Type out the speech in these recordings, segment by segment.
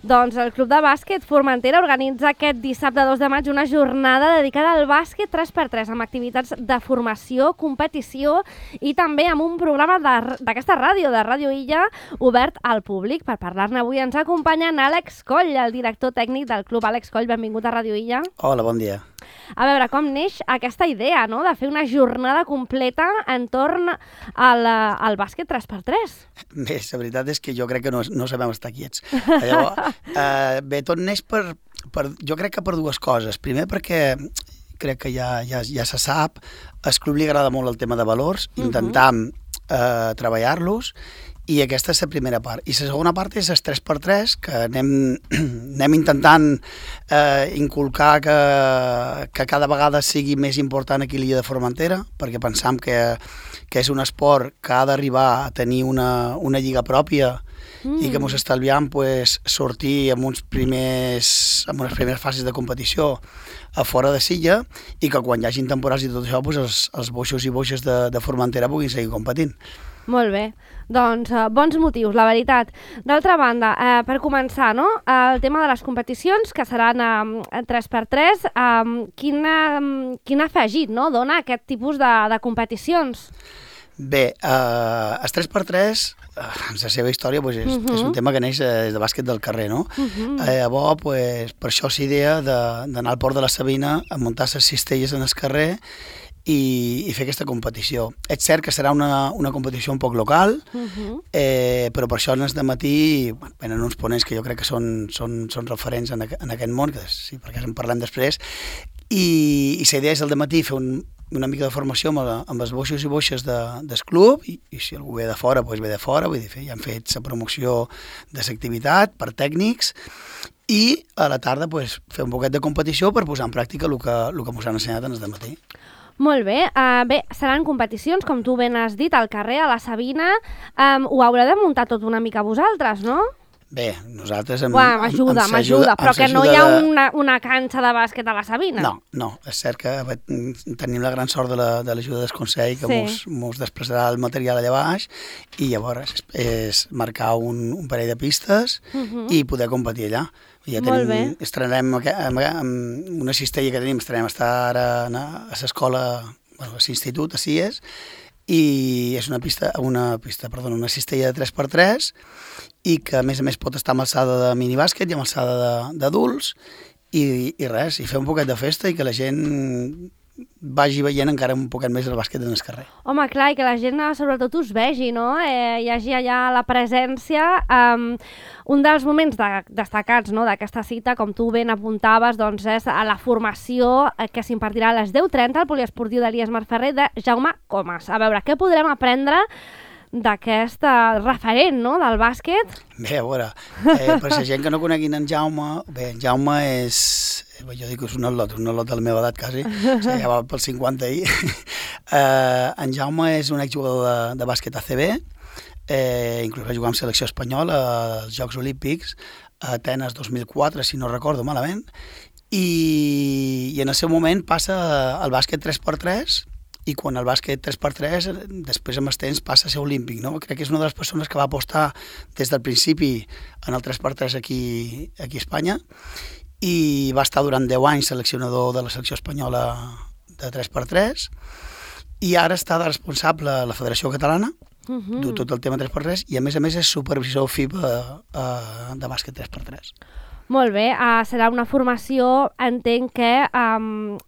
Doncs el Club de Bàsquet Formentera organitza aquest dissabte 2 de maig una jornada dedicada al bàsquet 3x3 amb activitats de formació, competició i també amb un programa d'aquesta ràdio, de Ràdio Illa, obert al públic. Per parlar-ne avui ens acompanya Àlex Coll, el director tècnic del club. Àlex Coll, benvingut a Ràdio Illa. Hola, bon dia. A veure, com neix aquesta idea, no?, de fer una jornada completa entorn al bàsquet 3x3? Bé, la veritat és que jo crec que no sabem estar quiets. Llavors, bé, tot neix jo crec que per dues coses. Primer perquè crec que ja se sap, al club li agrada molt el tema de valors, intentam treballar-los, i aquesta és la primera part. I la segona part és el 3x3, que anem intentant inculcar que cada vegada sigui més important aquí a l'illa de Formentera, perquè pensam que és un esport que ha d'arribar a tenir una lliga pròpia i que ens estalviam sortir amb unes primeres fases de competició a fora de Silla i que quan hi hagin temporals i tot això els boixos i boixes de Formentera puguin seguir competint. Molt bé, doncs bons motius, la veritat. D'altra banda, per començar, no?, el tema de les competicions, que seran 3x3, quin afegit, no?, dona aquest tipus de competicions? Bé, el 3x3, la seva història és un tema que neix des de bàsquet del carrer, no? Llavors, per això s'idea d'anar al Port de la Sabina a muntar les cistelles en el carrer i fer aquesta competició. És cert que serà una competició un poc local, però per això en el dematí venen uns ponents que jo crec que són referents en aquest món, que sí, perquè en parlem després, i la idea és al dematí fer una mica de formació amb els boixos i boixes del club, i si algú ve de fora, doncs ve de fora, vull dir, ja han fet la promoció de l'activitat per tècnics, i a la tarda fer un poquet de competició per posar en pràctica el que ens han ensenyat en el dematí. Molt bé. Bé, seran competicions, com tu ben has dit, al carrer, a la Sabina. Ho haureu de muntar tot una mica vosaltres, no? Bé, nosaltres m'ajuda, però que no hi ha una canxa de bàsquet a la Sabina. No, és cert que tenim la gran sort de l'ajuda del Consell, que mos desplaçarà el material allà baix, i llavors és marcar un parell de pistes i poder competir allà. Ja estrenarem amb una cistella que tenim, estrenarem a estar ara a l'escola, a l'institut, a CIES, i és una cistella de 3x3 i que a més pot estar amb alçada de minibàsquet i amb alçada d'adults i res, i fer un poquet de festa i que la gent vagi veient encara un poquet més el bàsquet en el carrer. Home, clar, i que la gent sobretot us vegi, no? Hi hagi allà la presència. Un dels moments destacats, no?, d'aquesta cita, com tu ben apuntaves, doncs és a la formació que s'impartirà a les 10:30 al Poliesportiu d'Elies Marferrer de Jaume Comas. A veure, què podrem aprendre d'aquest referent, no?, del bàsquet? Bé, a veure, per la gent que no coneguin en Jaume, bé, en Jaume és... Jo dic que és un al·lot de la meva edat, quasi. Ja va pels 50 ahir. En Jaume és un exjugador de bàsquet ACB, inclús va jugar amb selecció espanyola als Jocs Olímpics a Atenes 2004, si no recordo malament, i en el seu moment passa al bàsquet 3x3, i quan el bàsquet 3x3 després amb el temps passa a ser olímpic, no? Crec que és una de les persones que va apostar des del principi en el 3x3 aquí a Espanya, i va estar durant 10 anys seleccionador de la selecció espanyola de 3x3, i ara està de responsable a la Federació Catalana, du tot el tema 3x3, i a més és supervisor FIBA de bàsquet 3x3. Molt bé, serà una formació, entenc que,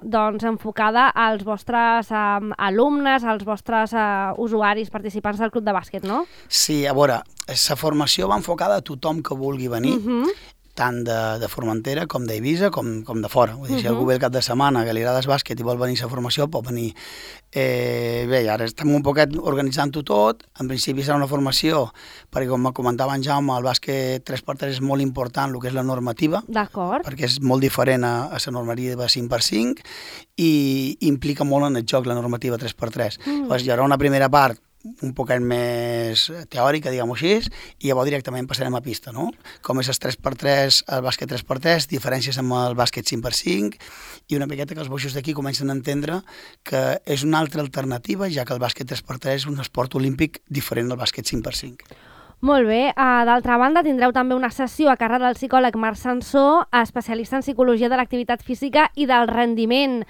doncs, enfocada als vostres alumnes, als vostres usuaris participants del club de bàsquet, no? Sí, a veure, la formació va enfocada a tothom que vulgui venir, tant de Formentera com d'Eivissa com de fora. Vull dir, si algú ve el cap de setmana que li agrada el bàsquet i vol venir a la formació, pot venir. Bé, ara estem un poquet organitzant-ho tot. En principi serà una formació, perquè com comentava en Jaume, el bàsquet 3x3 és molt important el que és la normativa. D'acord. Perquè és molt diferent a la normativa 5x5 i implica molt en el joc la normativa 3x3. Llavors hi haurà una primera part un poquet més teòrica, diguem-ho així, i llavors directament passarem a pista, no? Com és el 3x3, el bàsquet 3x3, diferències amb el bàsquet 5x5, i una miqueta que els boixos d'aquí comencen a entendre que és una altra alternativa, ja que el bàsquet 3x3 és un esport olímpic diferent del bàsquet 5x5. Molt bé. D'altra banda, tindreu també una sessió a càrrec del psicòleg Marc Sansó, especialista en psicologia de l'activitat física i del rendiment.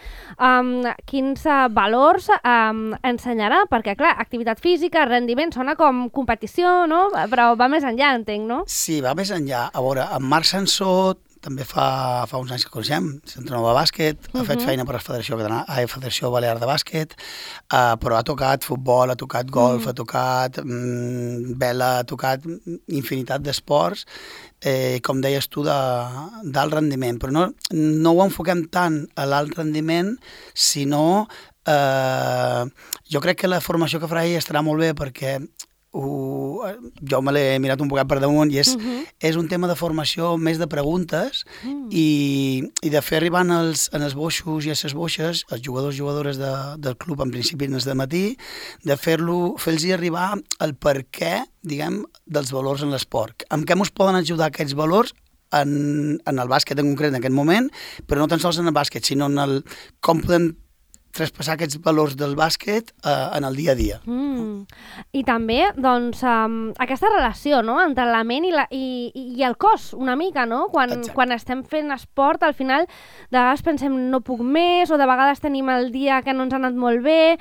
Quins valors ensenyarà? Perquè, clar, activitat física, rendiment, sona com competició, no? Però va més enllà, entenc, no? Sí, va més enllà. A veure, en Marc Sansó també fa uns anys que coneixem, s'entrenador de bàsquet, ha fet feina per la Federació Balear de Bàsquet, però ha tocat futbol, ha tocat golf, ha tocat vela, ha tocat infinitat d'esports, com deies tu, d'alt rendiment. Però no ho enfoquem tant a l'alt rendiment, sinó jo crec que la formació que farà ell estarà molt bé perquè jo me l'he mirat un poquet per damunt i és un tema de formació més de preguntes i de fer arribar en els boixos i a les boixes, els jugadors i jugadores del club, en principi en els de matí, de fer-los arribar el per què, diguem, dels valors en l'esport. Amb què ens poden ajudar aquests valors en el bàsquet en concret en aquest moment, però no tan sols en el bàsquet, sinó en el com podem traspassar aquests valors del bàsquet en el dia a dia. I també, doncs, aquesta relació, no?, entre la ment i el cos, una mica, no? Quan estem fent esport, al final, de vegades pensem no puc més, o de vegades tenim el dia que no ens ha anat molt bé.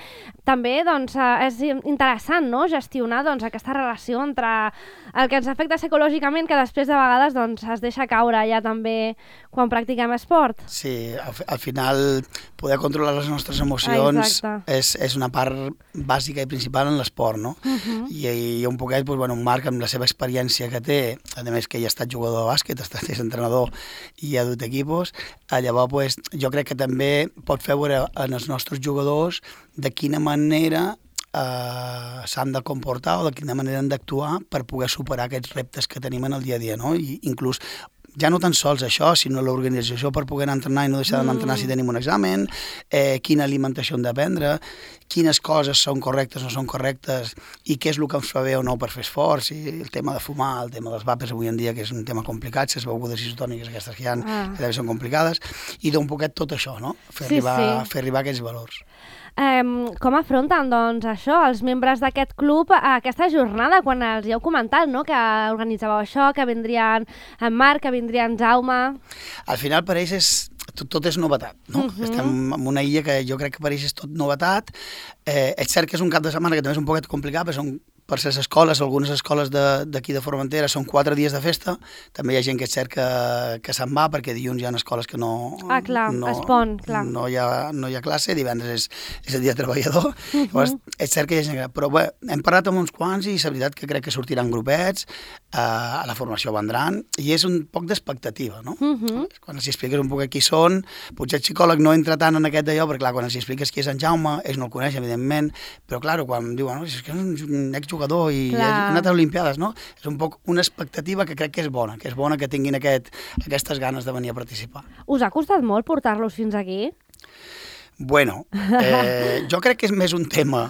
També, doncs, és interessant, no?, gestionar, doncs, aquesta relació entre el que ens afecta psicològicament, que després de vegades, doncs, es deixa caure ja també quan practiquem esport. Sí, al final poder controlar les nostres emocions és una part bàsica i principal en l'esport, no? I un poquet, doncs, bueno, Marc, amb la seva experiència que té, a més que ell ha estat jugador de bàsquet, és entrenador i ha dut equipos, llavors pues, jo crec que també pot fer veure en els nostres jugadors de quina manera s'han de comportar o de quina manera han d'actuar per poder superar aquests reptes que tenim en el dia a dia, no? I inclús ja no tan sols això, sinó l'organització per poder anar a entrenar i no deixar d'anar a entrenar si tenim un examen, quina alimentació hem de prendre, quines coses són correctes o no són correctes i què és el que ens fa bé o no per fer esforç, i el tema de fumar, el tema dels vapes avui en dia, que és un tema complicat, les begudes isotòniques aquestes que hi ha, que també són complicades, i d'un poquet tot això, no? Fer arribar aquests valors. Com afronten, doncs, això, els membres d'aquest club aquesta jornada, quan els hi heu comentat, no?, que organitzàveu això, que vindrien en Marc, que vindria en Jaume? Al final per ells tot és novetat, no? Estem en una illa que jo crec que per ells és tot novetat. És cert que és un cap de setmana que també és un poquet complicat, perquè són per les escoles, algunes escoles d'aquí de Formentera són 4 dies de festa, també hi ha gent que és cert que se'n va, perquè dilluns hi ha escoles que no hi ha classe, divendres és el dia treballador, llavors és cert que hi ha gent que... Però bé, hem parlat amb uns quants i la veritat que crec que sortiran grupets, a la formació vendran, i és un poc d'expectativa, no? Quan els expliques un poc qui són, potser el psicòleg no entra tant en aquest d'allò, perquè clar, quan els expliques qui és en Jaume, ells no el coneixen, evidentment, però clar, quan diuen, és que és un exjugador i ha anat a Olimpiades, no? És un poc una expectativa que crec que és bona que tinguin aquestes ganes de venir a participar. Us ha costat molt portar-los fins aquí? Bueno, jo crec que és més un tema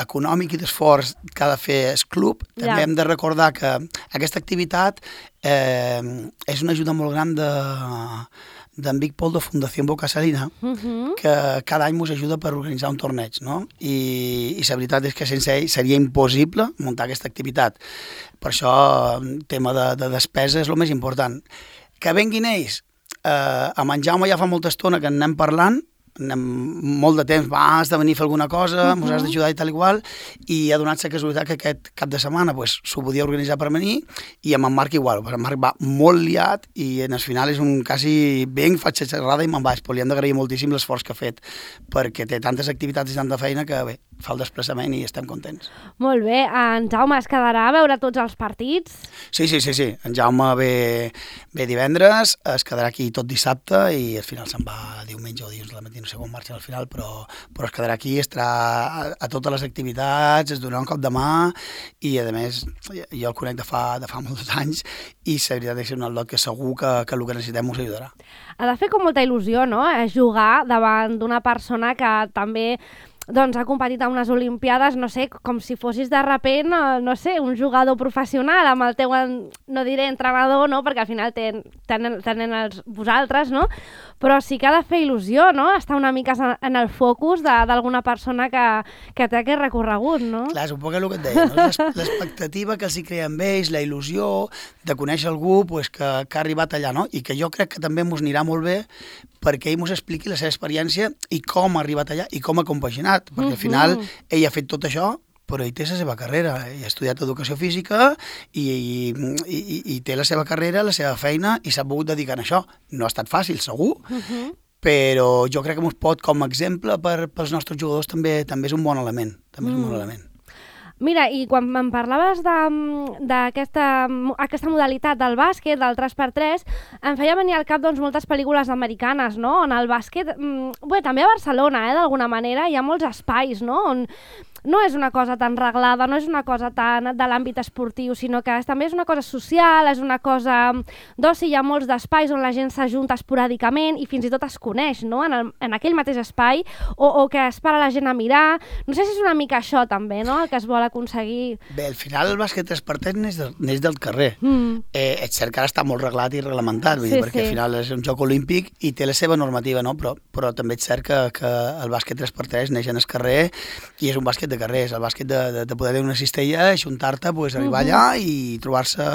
econòmic i d'esforç que ha de fer el club. També hem de recordar que aquesta activitat és una ajuda molt gran d'en Vic Pol de Fundació Boca Salina, que cada any ens ajuda per organitzar un torneig, no? I la veritat és que sense ell seria impossible muntar aquesta activitat. Per això el tema de despesa és el més important. Que venguin ells, amb en Jaume ja fa molta estona que en anem parlant, molt de temps, has de venir a fer alguna cosa, ens has d'ajudar i tal igual, i ha donat la casualitat que aquest cap de setmana s'ho podia organitzar per venir, i amb en Marc igual, en Marc va molt liat i en el final és un quasi venc, faig la xerrada i me'n vaig, però li hem d'agrair moltíssim l'esforç que ha fet, perquè té tantes activitats i tanta feina que bé, fa el desplaçament i estem contents. Molt bé, en Jaume es quedarà a veure tots els partits? Sí, en Jaume ve divendres, es quedarà aquí tot dissabte i al final se'n va diumenge o dilluns de la matí, no sé com marxa al final, però es quedarà aquí, estarà a totes les activitats, es donarà un cop de mà i a més jo el conec de fa molts anys i la veritat és un atlot que segur que el que necessitem us ajudarà. Ha de fer com molta il·lusió, no?, jugar davant d'una persona que també doncs, ha competit en unes Olimpiades, no sé, com si fossis de repent, no sé, un jugador professional amb el teu, no diré entrenador, no? Perquè al final tenen vosaltres, no? Però sí que ha de fer il·lusió, no? Estar una mica en el focus d'alguna persona que té aquest recorregut, no? Clar, és un poc el que et deia, no? L'expectativa que els hi crea amb ells, la il·lusió de conèixer algú pues, que ha arribat allà, no? I que jo crec que també mos anirà molt bé perquè ell mos expliqui la seva experiència i com ha arribat allà i com ha compaginat, perquè al final ell ha fet tot això, però ell té la seva carrera, ell ha estudiat educació física i té la seva carrera, la seva feina i s'ha pogut dedicar a això. No ha estat fàcil, segur, però jo crec que ens pot, com a exemple pels nostres jugadors, també és un bon element. També és un bon element. Mira, i quan em parlaves d'aquesta modalitat del bàsquet, del 3x3, em feia venir al cap doncs, moltes pel·lícules americanes, no? On el bàsquet, bé, també a Barcelona, d'alguna manera, hi ha molts espais, no? On no és una cosa tan reglada, no és una cosa tan de l'àmbit esportiu, sinó que també és una cosa social, és una cosa d'oci, hi ha molts d'espais on la gent s'ajunta esporàdicament i fins i tot es coneix, no? En aquell mateix espai, o que es para la gent a mirar. No sé si és una mica això també, no? El que es vol aconseguir. Bé, al final el bàsquet 3x3 neix del carrer. És cert que ara està molt reglat i reglamentat, perquè al final és un joc olímpic i té la seva normativa, no? Però també és cert que el bàsquet 3x3 neix en el carrer i és un bàsquet de carrer, és el bàsquet de poder tenir una cistella, ajuntar-te, arribar allà i trobar-se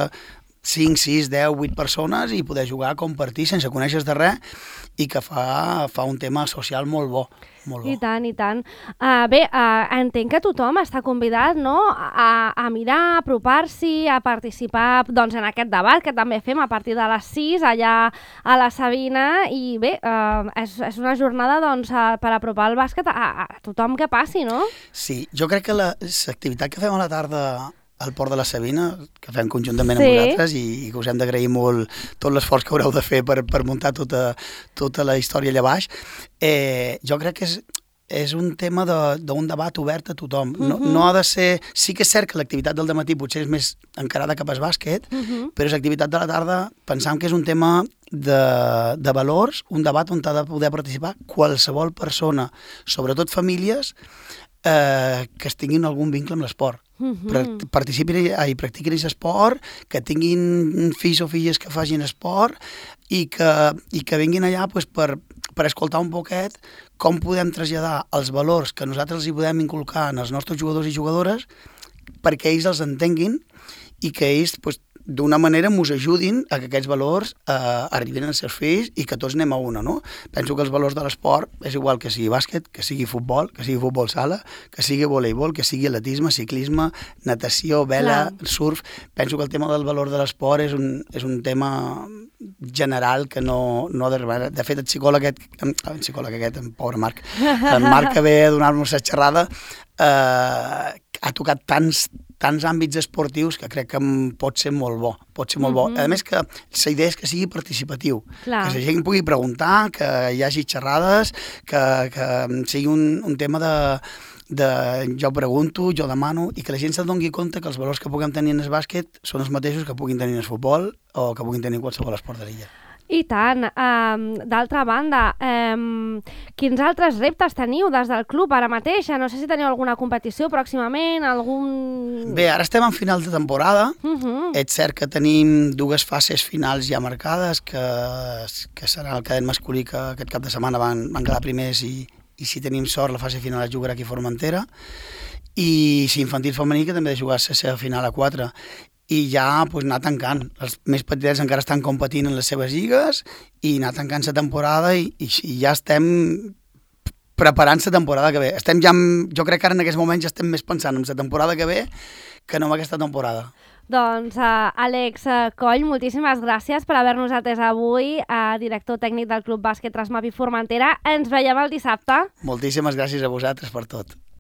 5, 6, 10, 8 persones i poder jugar, compartir sense conèixer de res i que fa un tema social molt bo. Molt bo. I tant, i tant. Bé, entenc que tothom està convidat, no?, a mirar, a apropar-s'hi, a participar doncs, en aquest debat que també fem a partir de les 6 allà a la Sabina i bé, és una jornada doncs, per apropar el bàsquet a tothom que passi, no? Sí, jo crec que l'activitat que fem a la tarda al Port de la Sabina, que fem conjuntament amb vosaltres i que us hem d'agrair molt tot l'esforç que haureu de fer per muntar tota la història allà baix, jo crec que és un tema d'un debat obert a tothom. No ha de ser... Sí que és cert que l'activitat del dematí potser és més encarada cap al bàsquet, però l'activitat de la tarda pensam que és un tema de valors, un debat on ha de poder participar qualsevol persona, sobretot famílies, que es tinguin algun vincle amb l'esport. Participin i practiquin aquest esport, que tinguin fills o filles que facin esport i que vinguin allà pues, per escoltar un poquet com podem traslladar els valors que nosaltres hi podem inculcar en els nostres jugadors i jugadores perquè ells els entenguin i que ells pues, d'una manera ens ajudin a que aquests valors arribin als seus fills i que tots anem a una, no? Penso que els valors de l'esport és igual que sigui bàsquet, que sigui futbol sala, que sigui voleibol, que sigui atletisme, ciclisme, natació, vela, surf. Penso que el tema del valor de l'esport és un tema general que no ha d'arribar. De fet, el psicòleg aquest, en pobre Marc, en Marc que ve a donar-nos la xerrada, ha tocat tants àmbits esportius que crec que pot ser molt bo. A més que la idea és que sigui participatiu, que la gent pugui preguntar, que hi hagi xerrades, que sigui un tema de jo pregunto, jo demano, i que la gent se'n doni compte que els valors que puguem tenir en el bàsquet són els mateixos que puguin tenir en el futbol o que puguin tenir en qualsevol esport de l'illa. I tant. D'altra banda, quins altres reptes teniu des del club ara mateix? No sé si teniu alguna competició pròximament, Bé, ara estem en final de temporada. És cert que tenim 2 fases finals ja marcades, que serà el cadet masculí que aquest cap de setmana van quedar primers i si tenim sort la fase final es jugarà aquí a Formentera. I si infantil femení que també ha de jugar la seva final a 4. I ja pues, anar tancant. Els més petits encara estan competint en les seves lligues i anar tancant la temporada i ja estem preparant la temporada que ve. Jo crec que ara en aquests moments ja estem més pensant en la temporada que ve que no en aquesta temporada. Doncs, Àlex Coll, moltíssimes gràcies per haver-nos atès avui, director tècnic del Club Bàsquet Trasmapi Formentera. Ens veiem el dissabte. Moltíssimes gràcies a vosaltres per tot.